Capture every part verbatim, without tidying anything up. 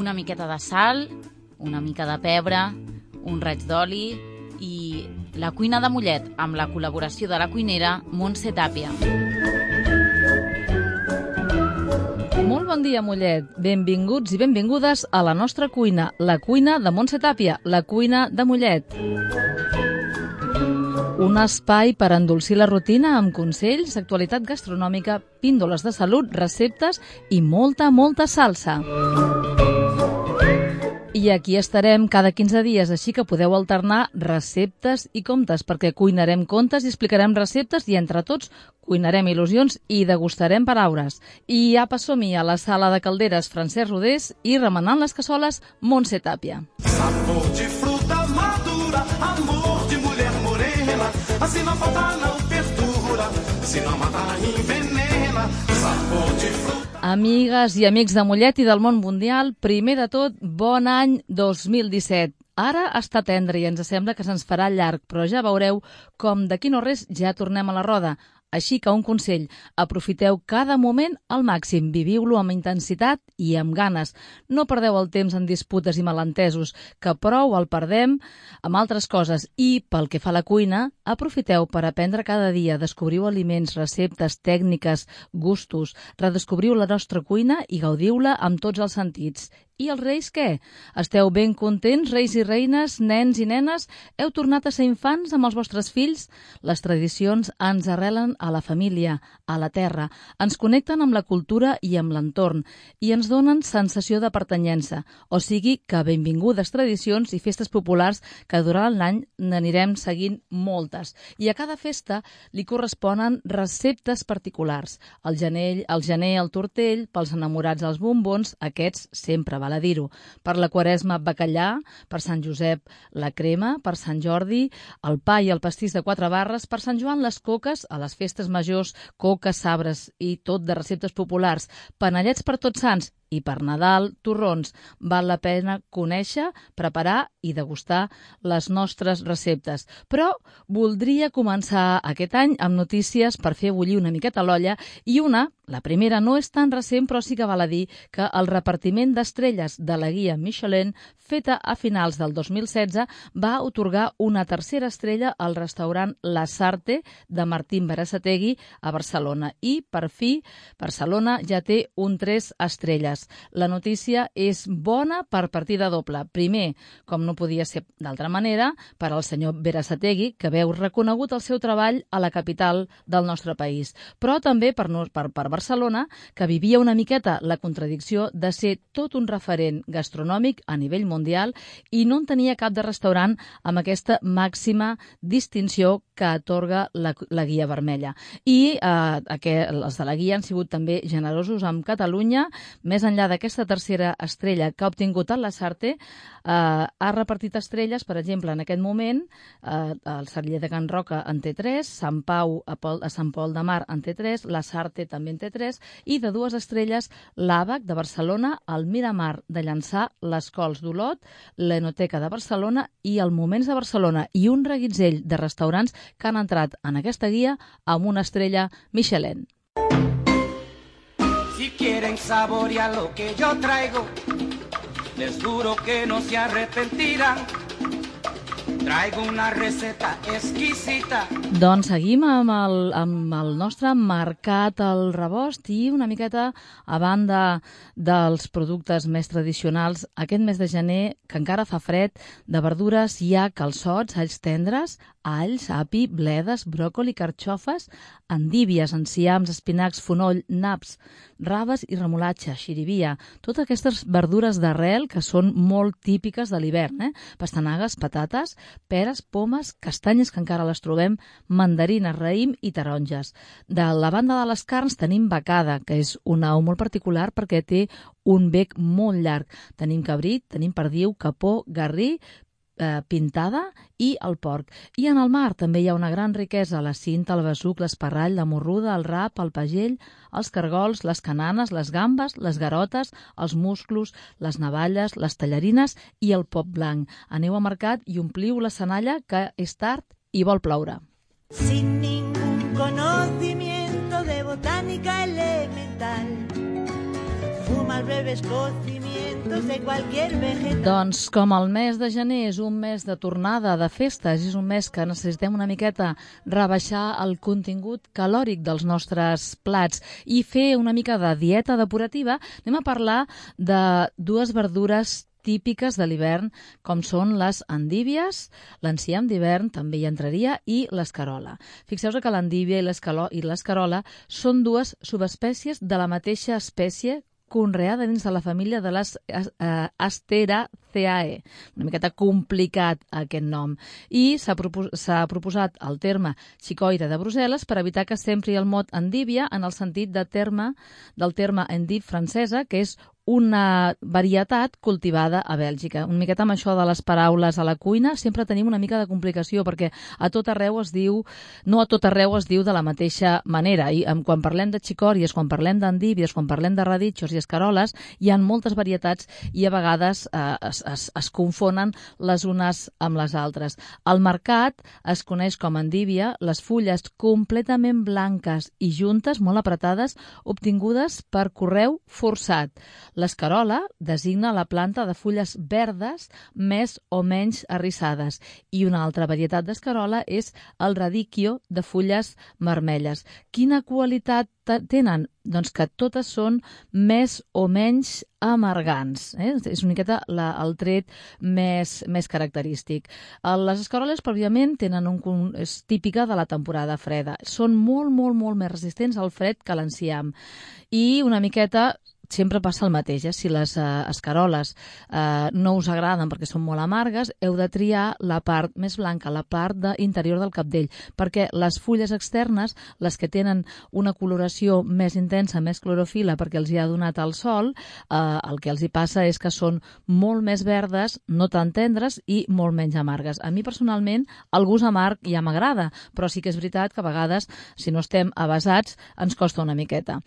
una miqueta de sal, una mica de pebre, un raig d'oli i la cuina de Mollet, amb la col·laboració de la cuinera Montse Tàpia. Molt bon dia, Mollet. Benvinguts i benvingudes a la nostra cuina, la cuina de Montse Tàpia, la cuina de Mollet. Un espai per endolcir la rutina amb consells, actualitat gastronòmica, píndoles de salut, receptes i molta, molta salsa. I aquí estarem cada quinze dies, així que podeu alternar receptes i contes, perquè cuinarem contes i explicarem receptes i entre tots cuinarem il·lusions i degustarem paraules. I apa, som-hi a la sala de calderes Francesc Rodés i remenant les cassoles Montse Tàpia. Sabor de fruta madura, amor de mulher morena, assim não falta não perdura, se não mata envenena, sabor de fruta. Amigues i amics de Mollet i del món mundial, primer de tot, bon any dos mil disset. Ara està tendre i ens sembla que se'ns farà llarg, però ja veureu com d'aquí no res ja tornem a la roda. Així que un consell, aprofiteu cada moment al màxim, viviu-lo amb intensitat i amb ganes. No perdeu el temps en disputes i malentesos, que prou el perdem amb altres coses. I pel que fa a la cuina, aprofiteu per aprendre cada dia, descobriu aliments, receptes, tècniques, gustos, redescobriu la nostra cuina i gaudiu-la amb tots els sentits. I els reis què? Esteu ben contents, reis i reines, nens i nenes? Heu tornat a ser infants amb els vostres fills? Les tradicions ens arrelen a la família, a la terra, ens connecten amb la cultura i amb l'entorn i ens donen sensació de pertanyença. O sigui que benvingudes tradicions i festes populars que durant l'any n'anirem seguint moltes. I a cada festa li corresponen receptes particulars. El gener, el gener el tortell, pels enamorats els bombons, aquests sempre val a dir-ho. Per la Quaresma, bacallà, per Sant Josep, la crema, per Sant Jordi, el pa i el pastís de quatre barres, per Sant Joan, les coques, a les festes majors, coques, sabres i tot de receptes populars, panellets per Tots Sants i per Nadal, torrons. Val la pena conèixer, preparar i degustar les nostres receptes. Però voldria començar aquest any amb notícies per fer bullir una miqueta l'olla i una, la primera no és tan recent, però sí que val a dir que el repartiment d'estrelles de la guia Michelin, feta a finals del dos mil setze, va otorgar una tercera estrella al restaurant La Sarte de Martín Berasategui a Barcelona. I, per fi, Barcelona ja té un tres estrelles. La notícia és bona per partida doble. Primer, com no podia ser d'altra manera, per al senyor Berasategui, que veu reconegut el seu treball a la capital del nostre país. Però també per, per, per Barcelona, que vivia una miqueta la contradicció de ser tot un referent gastronòmic a nivell mundial i no en tenia cap de restaurant amb aquesta màxima distinció que atorga la, la guia vermella. I eh, aquest, els de la guia han sigut també generosos amb Catalunya. Més enllà d'aquesta tercera estrella que ha obtingut el La Sarte, eh, ha repartit estrelles, per exemple, en aquest moment, eh, el Celler de Can Roca en té tres, Sant Pau a, Pol, a Sant Pol de Mar en té tres, La Sarte també en té tres, i de dues estrelles l'Àbac de Barcelona, el Miramar de Llançà, les Cols d'Olot, l'Enoteca de Barcelona i el Moments de Barcelona, i un reguitzell de restaurants que han entrat en aquesta guia amb una estrella Michelin. Si quieren saborear lo que yo traigo, les juro que no se arrepentirán. Traigo una receta exquisita. Doncs seguim amb el, amb el nostre mercat al rebost i una miqueta a banda dels productes més tradicionals. Aquest mes de gener, que encara fa fred, de verdures hi ha calçots, alls tendres, alls, api, bledes, bròcoli, carxofes, endívies, enciams, espinacs, fonoll, naps, raves i remolatxa, xirivia. Totes aquestes verdures d'arrel que són molt típiques de l'hivern, eh? Pastanagues, patates, peres, pomes, castanyes, que encara les trobem, mandarines, raïm i taronges. De la banda de les carns tenim becada, que és una au molt particular perquè té un bec molt llarg. Tenim cabrit, tenim perdiu, capó, garrí, eh, pintada i el porc. I en el mar també hi ha una gran riquesa, la cinta, el besuc, l'esparrall, la morruda, el rap, el pagell, els cargols, les cananes, les gambes, les garotes, els musclos, les navalles, les tallarines i el pop blanc. Aneu a mercat i ompliu la senalla, que és tard i vol ploure. Sin ningún conocimiento de botánica elemental, fuma al breve escocimiento elementos de cualquier vegetal. Doncs com el mes de gener és un mes de tornada, de festes, és un mes que necessitem una miqueta rebaixar el contingut calòric dels nostres plats i fer una mica de dieta depurativa, anem a parlar de dues verdures típiques de l'hivern, com són les endívies, l'enciam d'hivern també hi entraria, i l'escarola. Fixeu-vos que l'endívia i l'escarola són dues subespècies de la mateixa espècie conreada dins de la família de les uh, Asteraceae. Una miqueta complicat aquest nom. I s'ha propos proposat el terme xicoire de Brussel·les per evitar que s'empri el mot endívia en el sentit de terme, del terme endive francesa, que és una varietat cultivada a Bèlgica. Una miqueta amb això de les paraules a la cuina sempre tenim una mica de complicació perquè a tot arreu es diu, no a tot arreu es diu de la mateixa manera. I quan parlem de xicòries, quan parlem d'endívies, quan parlem de raditxos i escaroles, hi ha moltes varietats i a vegades eh, es, es, es confonen les unes amb les altres. Al mercat es coneix com endívia les fulles completament blanques i juntes, molt apretades, obtingudes per correu forçat. L'escarola designa la planta de fulles verdes més o menys arrissades i una altra varietat d'escarola és el radicchio de fulles vermelles. Quina qualitat tenen? Doncs que totes són més o menys amargants. Eh? És una miqueta la, el tret més, més característic. Les escaroles, pròpiament, tenen un, és típica de la temporada freda. Són molt, molt, molt més resistents al fred que l'enciam. I una miqueta sempre passa el mateix, eh? Si les eh, escaroles eh, no us agraden perquè són molt amargues, heu de triar la part més blanca, la part de interior del cabdell, perquè les fulles externes, les que tenen una coloració més intensa, més clorofila, perquè els hi ha donat el sol, eh, el que els hi passa és que són molt més verdes, no tan tendres i molt menys amargues. A mi personalment el gust amarg ja m'agrada, però sí que és veritat que a vegades, si no estem avesats, ens costa una miqueta.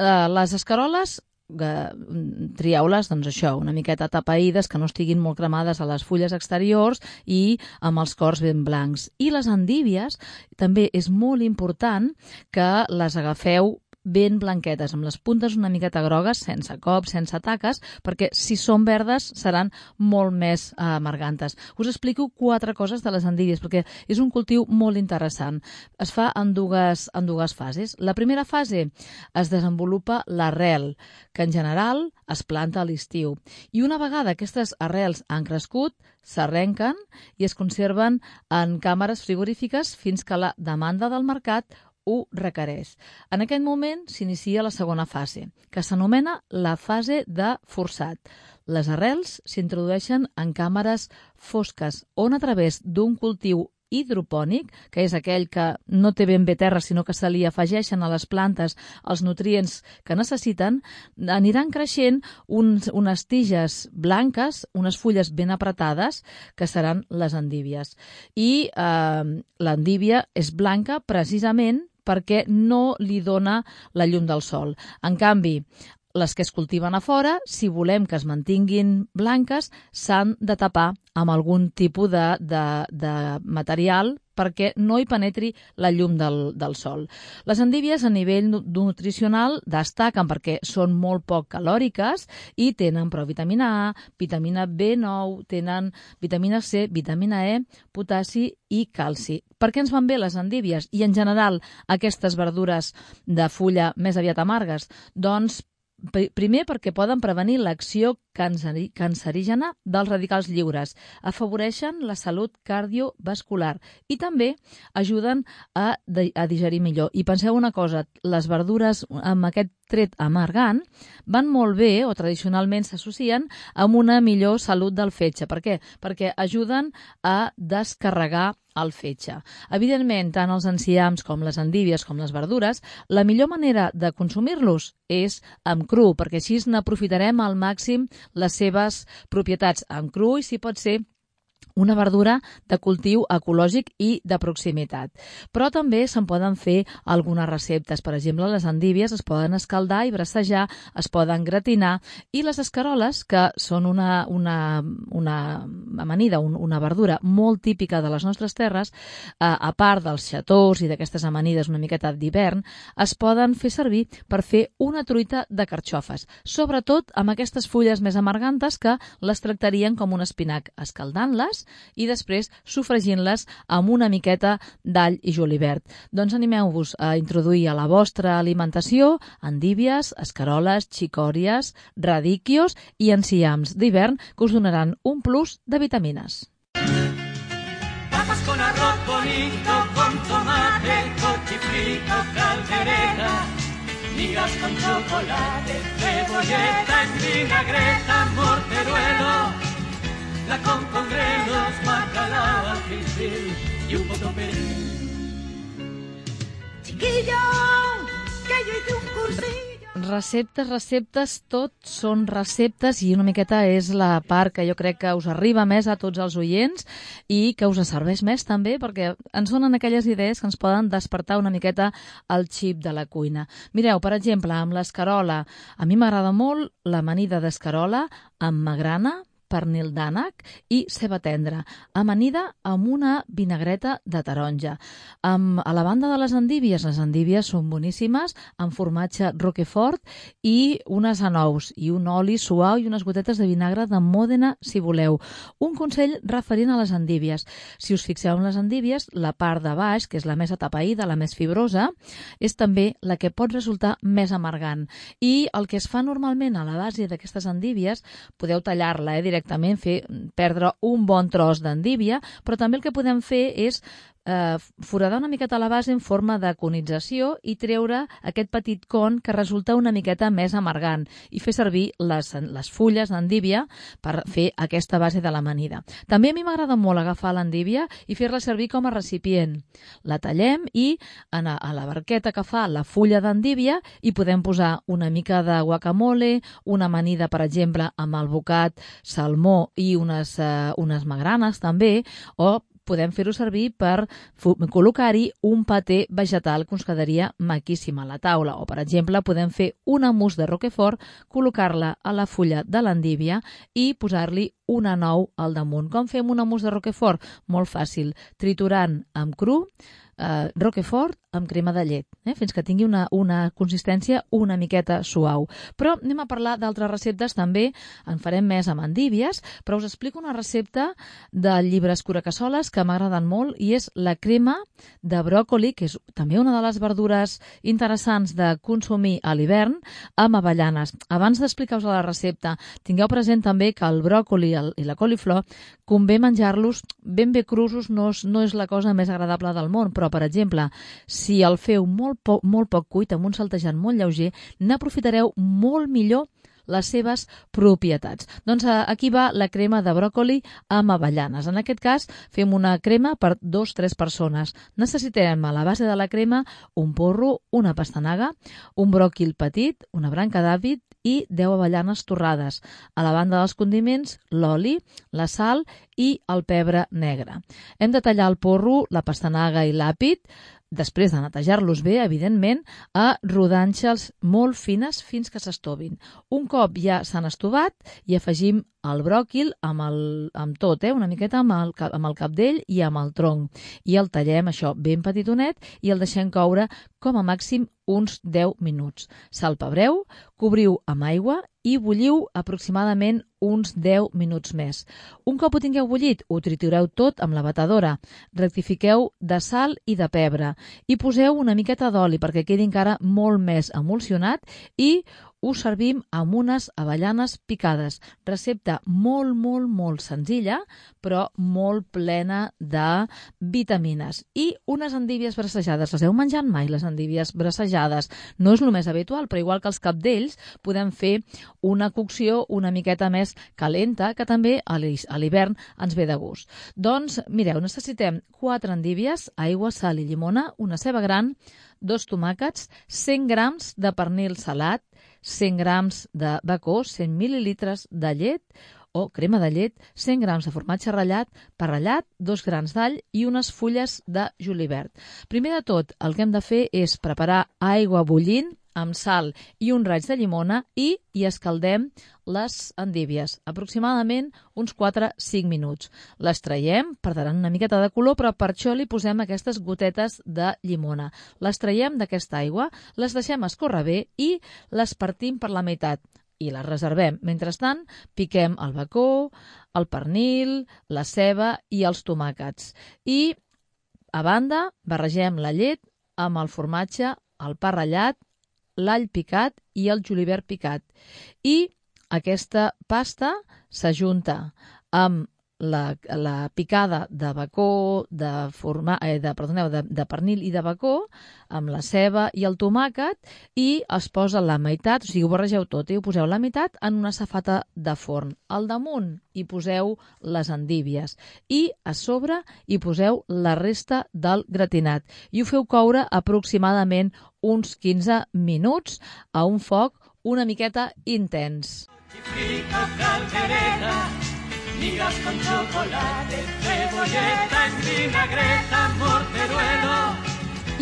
Eh, les escaroles trieu-les, doncs això, una miqueta tapaïdes, que no estiguin molt cremades a les fulles exteriors i amb els cors ben blancs. I les endívies també és molt important que les agafeu ben blanquetes, amb les puntes una miqueta grogues, sense cops, sense taques, perquè si són verdes seran molt més eh, amargantes. Us explico quatre coses de les endívies, perquè és un cultiu molt interessant. Es fa en dues, en dues fases. La primera fase es desenvolupa l'arrel, que en general es planta a l'estiu. I una vegada aquestes arrels han crescut, s'arrenquen i es conserven en càmeres frigorífiques fins que la demanda del mercat ho requereix. En aquest moment s'inicia la segona fase, que s'anomena la fase de forçat. Les arrels s'introdueixen en càmeres fosques, on a través d'un cultiu hidropònic, que és aquell que no té ben bé terra, sinó que se li afegeixen a les plantes els nutrients que necessiten, aniran creixent uns, unes tiges blanques, unes fulles ben apretades, que seran les endívies. I eh, l'endívia és blanca precisament perquè no li dona la llum del sol. En canvi, les que es cultiven a fora, si volem que es mantinguin blanques, s'han de tapar amb algun tipus de, de, de material perquè no hi penetri la llum del, del sol. Les endívies a nivell nutricional destaquen perquè són molt poc calòriques i tenen prou vitamina A, vitamina B nou, tenen vitamina C, vitamina E, potassi i calci. Per què ens van bé les endívies i en general aquestes verdures de fulla més aviat amargues? Doncs primer perquè poden prevenir l'acció cancerígena dels radicals lliures, afavoreixen la salut cardiovascular i també ajuden a, a digerir millor. I penseu una cosa, les verdures amb aquest tret amargant van molt bé, o tradicionalment s'associen, amb una millor salut del fetge. Per què? Perquè ajuden a descarregar el fetge. Evidentment, tant els enciams com les endívies com les verdures, la millor manera de consumir-los és amb cru, perquè així n'aprofitarem al màxim les seves propietats amb cru i si pot ser una verdura de cultiu ecològic i de proximitat. Però també se'n poden fer algunes receptes. Per exemple, les endívies es poden escaldar i brassejar, es poden gratinar, i les escaroles, que són una, una, una amanida, un, una verdura molt típica de les nostres terres, eh, a part dels xatós i d'aquestes amanides una miqueta d'hivern, es poden fer servir per fer una truita de carxofes, sobretot amb aquestes fulles més amargantes que les tractarien com un espinac, escaldant-les i després sofregint-les amb una miqueta d'all i julivert. Doncs animeu-vos a introduir a la vostra alimentació endívies, escaroles, xicòries, radíquios i enciams d'hivern que us donaran un plus de vitamines. Papas con arroz bonito, con tomate, cochifrito, caldereta, migas con chocolate, cebolleta, vinagreta, morteruelo, la con congrelos, bacalao, cristil y un poco perejil. Chiquillo, que yo hice un cursillo. Receptes, receptes, tot són receptes i una miqueta és la part que jo crec que us arriba més a tots els oients i que us serveix més també perquè ens donen aquelles idees que ens poden despertar una miqueta el xip de la cuina. Mireu, per exemple, amb l'escarola, a mi m'agrada molt l'amanida d'escarola amb magrana, pernil d'ànec i ceba tendra, amanida amb una vinagreta de taronja. Amb, a la banda de les endívies, les endívies són boníssimes, amb formatge roquefort i unes anous, i un oli suau i unes gotetes de vinagre de Mòdena, si voleu. Un consell referent a les endívies. Si us fixeu en les endívies, la part de baix, que és la més atapeïda, la més fibrosa, és també la que pot resultar més amargant. I el que es fa normalment a la base d'aquestes endívies, podeu tallar-la, eh, directament, fer perdre un bon tros d'endívia, però també el que podem fer és eh, foradar una miqueta la base en forma de conització i treure aquest petit con que resulta una miqueta més amargant i fer servir les, les fulles d'endívia per fer aquesta base de l'amanida. També a mi m'agrada molt agafar l'endívia i fer-la servir com a recipient. La tallem i en a, a la barqueta que fa la fulla d'endívia hi podem posar una mica de guacamole, una amanida, per exemple, amb alvocat, salmó i unes, eh, unes magranes també, o podem fer-ho servir per col·locar-hi un paté vegetal que ens quedaria maquíssim a la taula. O, per exemple, podem fer una mousse de roquefort, col·locar-la a la fulla de l'endívia i posar-li una nou al damunt. Com fem una mousse de roquefort? Molt fàcil, triturant amb cru, eh, roquefort amb crema de llet, eh, fins que tingui una, una consistència una miqueta suau. Però anem a parlar d'altres receptes també, en farem més amb endívies, però us explico una recepta del llibre Escuracassoles que m'agraden molt i és la crema de bròcoli, que és també una de les verdures interessants de consumir a l'hivern, amb avellanes. Abans d'explicar-vos la recepta, tingueu present també que el bròcoli el, i la coliflor convé menjar-los ben bé crusos, no és, no és la cosa més agradable del món, però, per exemple, si el feu molt poc, molt poc cuit, amb un saltejant molt lleuger, n'aprofitareu molt millor les seves propietats. Doncs aquí va la crema de bròcoli amb avellanes. En aquest cas fem una crema per dos o tres persones. Necessitem a la base de la crema un porro, una pastanaga, un bròquil petit, una branca d'àvid i deu avellanes torrades. A la banda dels condiments, l'oli, la sal i el pebre negre. Hem de tallar el porro, la pastanaga i l'àpid, després de netejar-los bé, evidentment, a rodanxes molt fines fins que s'estovin. Un cop ja s'han estovat, hi afegim el bròquil amb, el, amb tot, eh? una miqueta amb el, amb el capdell i amb el tronc. I el tallem, això, ben petitonet i el deixem coure com a màxim uns deu minuts. Salpebreu, cobriu amb aigua i bulliu aproximadament uns deu minuts més. Un cop ho tingueu bullit, ho tritureu tot amb la batedora. Rectifiqueu de sal i de pebre i poseu una miqueta d'oli perquè quedi encara molt més emulsionat i ho servim amb unes avellanes picades. Recepta molt, molt, molt senzilla, però molt plena de vitamines. I unes endívies brassejades. Les heu menjat mai, les endívies brassejades? No és el més habitual, però igual que els capdells, podem fer una cocció una miqueta més calenta, que també a l'hivern ens ve de gust. Doncs, mireu, necessitem quatre endívies, aigua, sal i llimona, una ceba gran, dos tomàquets, cent grams de pernil salat, cent grams de bacó, cent mil·lilitres de llet, o crema de llet, cent grams de formatge ratllat, pa ratllat, dos grans d'all i unes fulles de julivert. Primer de tot, el que hem de fer és preparar aigua bullint amb sal i un raig de llimona i hi escaldem les endívies, aproximadament uns quatre a cinc minuts. Les traiem, perdran una miqueta de color, però per això li posem aquestes gotetes de llimona. Les traiem d'aquesta aigua, les deixem escórrer bé i les partim per la meitat i les reservem. Mentrestant, piquem el bacó, el pernil, la ceba i els tomàquets. I, a banda, barregem la llet amb el formatge, el pa ratllat, l'all picat i el julivert picat. I aquesta pasta s'ajunta amb la, la picada de bacó, de, forma, eh, de, perdoneu, de, de pernil i de bacó, amb la ceba i el tomàquet, i es posa la meitat, o sigui, ho barregeu tot i ho poseu la meitat en una safata de forn. Al damunt hi poseu les endívies i a sobre hi poseu la resta del gratinat. I ho feu coure aproximadament uns quinze minuts a un foc una miqueta intens. Frito, caldereta, migas con chocolate, cebolleta en vinagreta, morteruelo.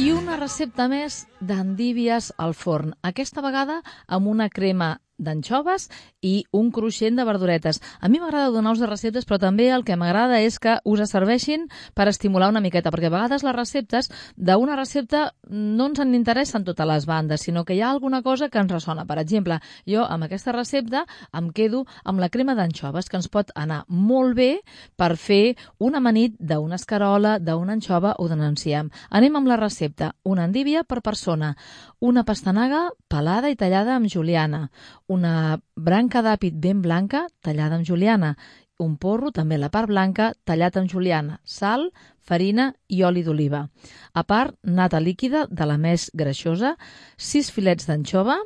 I una recepta més d'endívies al forn, aquesta vegada amb una crema d'anxoves i un cruixent de verduretes. A mi m'agrada donar-vos de receptes, però també el que m'agrada és que us serveixin per estimular una miqueta, perquè a vegades les receptes d'una recepta no ens en interessen totes les bandes, sinó que hi ha alguna cosa que ens ressona. Per exemple, jo amb aquesta recepta em quedo amb la crema d'anxoves, que ens pot anar molt bé per fer una amanit d'una escarola, d'una anxova o d'un enciam. Anem amb la recepta. Una endívia per persona, una pastanaga pelada i tallada amb juliana, una branca d'àpid ben blanca tallada amb juliana, un porro, també la part blanca, tallat amb juliana, sal, farina i oli d'oliva. A part, nata líquida de la més greixosa, sis filets d'anxova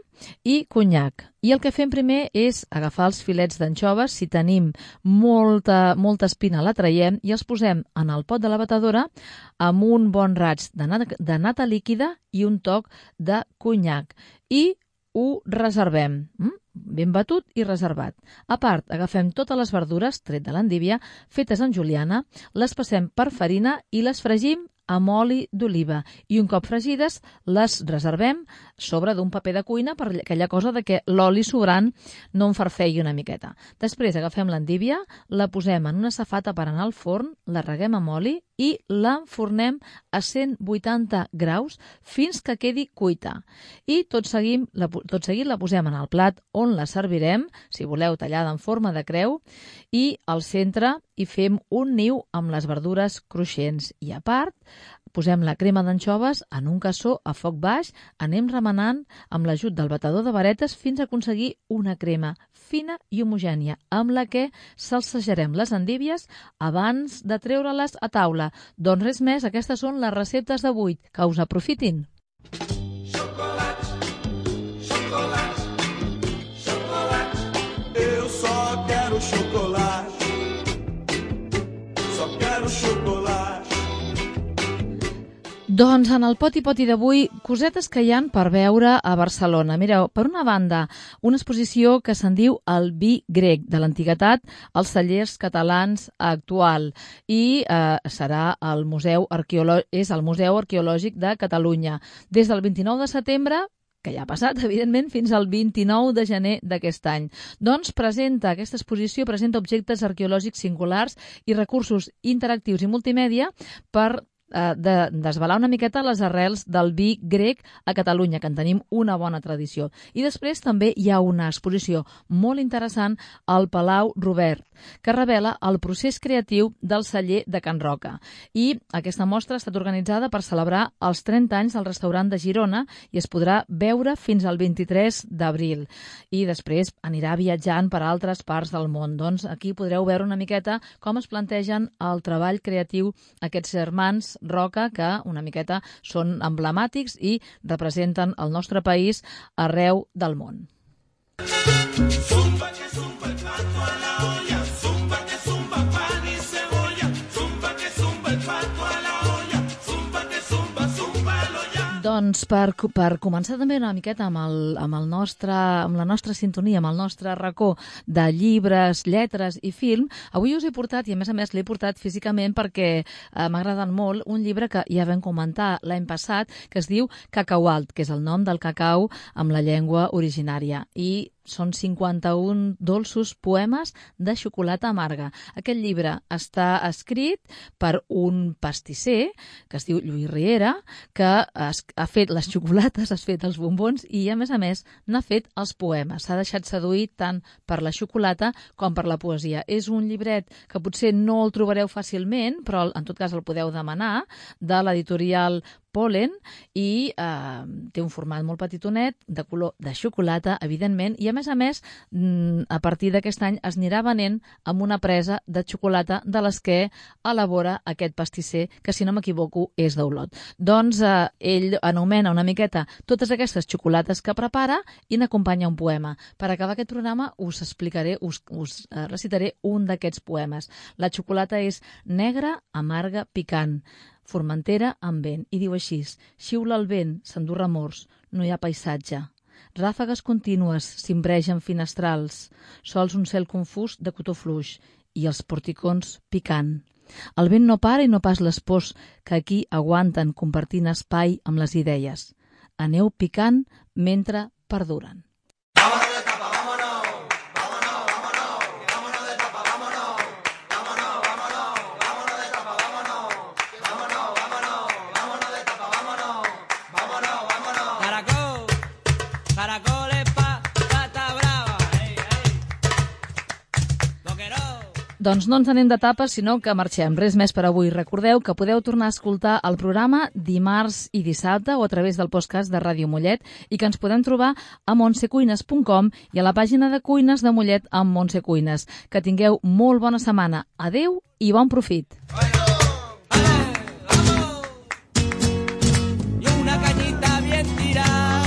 i conyac. I el que fem primer és agafar els filets d'anxoves, si tenim molta, molta espina la traiem i els posem en el pot de la batedora amb un bon raig de nata, de nata líquida i un toc de conyac. I ho reservem, ben batut i reservat. A part, agafem totes les verdures, tret de l'endívia, fetes en juliana, les passem per farina i les fregim amb oli d'oliva. I un cop fregides, les reservem sobre d'un paper de cuina per aquella cosa de que l'oli sobrant no en farfegui una miqueta. Després agafem l'endívia, la posem en una safata per anar al forn, la reguem amb oli i l'enfornem a cent vuitanta graus fins que quedi cuita. I tot seguit, la, tot seguit la posem en el plat on la servirem, si voleu tallada en forma de creu, i al centre hi fem un niu amb les verdures cruixents. I a part, posem la crema d'anxoves en un cassó a foc baix, anem remenant amb l'ajut del batedor de varetes fins a aconseguir una crema fina i homogènia, amb la que salsejarem les endívies abans de treure-les a taula. Doncs res més, aquestes són les receptes d'avui. Que us aprofitin! Chocolate, chocolate, chocolate. Eu só quero chocolate, só quero chocolate. Doncs en el poti poti d'avui, cosetes que hi han per veure a Barcelona. Mireu, per una banda, una exposició que se'n diu El vi grec, de l'antiguitat als cellers catalans actual, i eh, serà el museu arqueològic, és el Museu Arqueològic de Catalunya. Des del vint-i-nou de setembre, que ja ha passat, evidentment, fins al vint-i-nou de gener d'aquest any. Doncs presenta, aquesta exposició presenta objectes arqueològics singulars i recursos interactius i multimèdia per de desvelar una miqueta les arrels del vi grec a Catalunya, que en tenim una bona tradició. I després també hi ha una exposició molt interessant al Palau Robert, que revela el procés creatiu del celler de Can Roca. I aquesta mostra ha estat organitzada per celebrar els trenta anys del restaurant de Girona i es podrà veure fins al vint-i-tres d'abril. I després anirà viatjant per altres parts del món. Doncs aquí podreu veure una miqueta com es plantegen el treball creatiu aquests germans Roca, que una miqueta són emblemàtics i representen el nostre país arreu del món. Zumba que zumba el pato a la olla, zumba que zumba pan y cebolla, zumba que zumba el pato a la olla, zumba que zumba zumba el olla. Doncs per, per començar també una miqueta amb, el, amb, el nostre, amb la nostra sintonia, amb el nostre racó de llibres, lletres i film, avui us he portat, i a més a més l'he portat físicament perquè eh, m'ha agradat molt, un llibre que ja vam comentar l'any passat, que es diu Cacaualt, que és el nom del cacau amb la llengua originària. I són cinquanta-un dolços poemes de xocolata amarga. Aquest llibre està escrit per un pastisser que es diu Lluís Riera, que ha fet les xocolates, ha fet els bombons i, a més a més, n'ha fet els poemes. S'ha deixat seduir tant per la xocolata com per la poesia. És un llibret que potser no el trobareu fàcilment, però en tot cas el podeu demanar, de l'editorial Polen, i eh, té un format molt petitonet, de color de xocolata, evidentment, i a més a més, a partir d'aquest any es anirà venent amb una presa de xocolata de les que elabora aquest pastisser, que si no m'equivoco és d'Olot. Doncs eh, ell anomena una miqueta totes aquestes xocolates que prepara i n'acompanya un poema. Per acabar aquest programa us explicaré, us, us eh, recitaré un d'aquests poemes. La xocolata és negra, amarga, picant, Formentera amb vent, i diu així: xiula el vent, s'endú remors, no hi ha paisatge. Ràfegues contínues cimbregen finestrals, sols un cel confús de cotó fluix i els porticons picant. El vent no para i no pas les pors que aquí aguanten compartint espai amb les idees. Aneu picant mentre perduren. Doncs no ens anem de tapes, sinó que marxem. Res més per avui. Recordeu que podeu tornar a escoltar el programa dimarts i dissabte o a través del podcast de Ràdio Mollet i que ens podem trobar a montse cuines punt com i a la pàgina de cuines de Mollet amb Montse Cuines. Que tingueu molt bona setmana. Adeu i bon profit. Y una cañita bien tirada,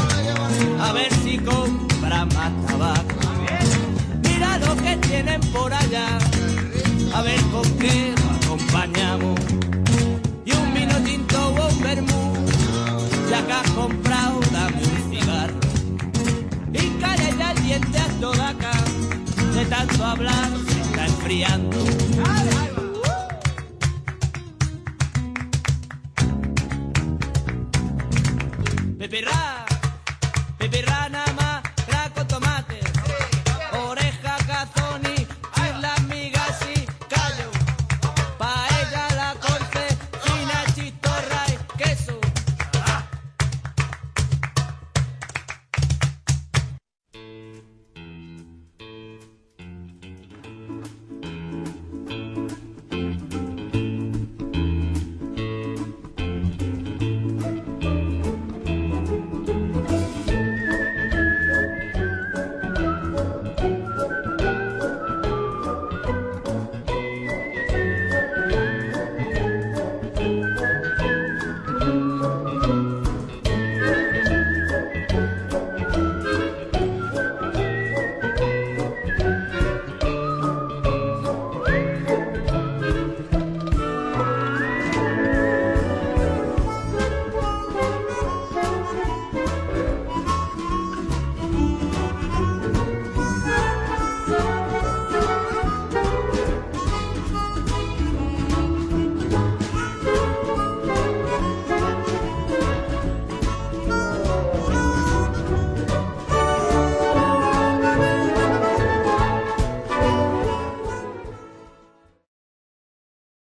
a ver si compra más tabaco. Mira lo que tienen por allá, a ver con qué lo acompañamos. Y un vino tinto o un vermú, ya que has comprado, dame un cigarro. Y calla ya el diente a toda acá, de tanto hablar se está enfriando.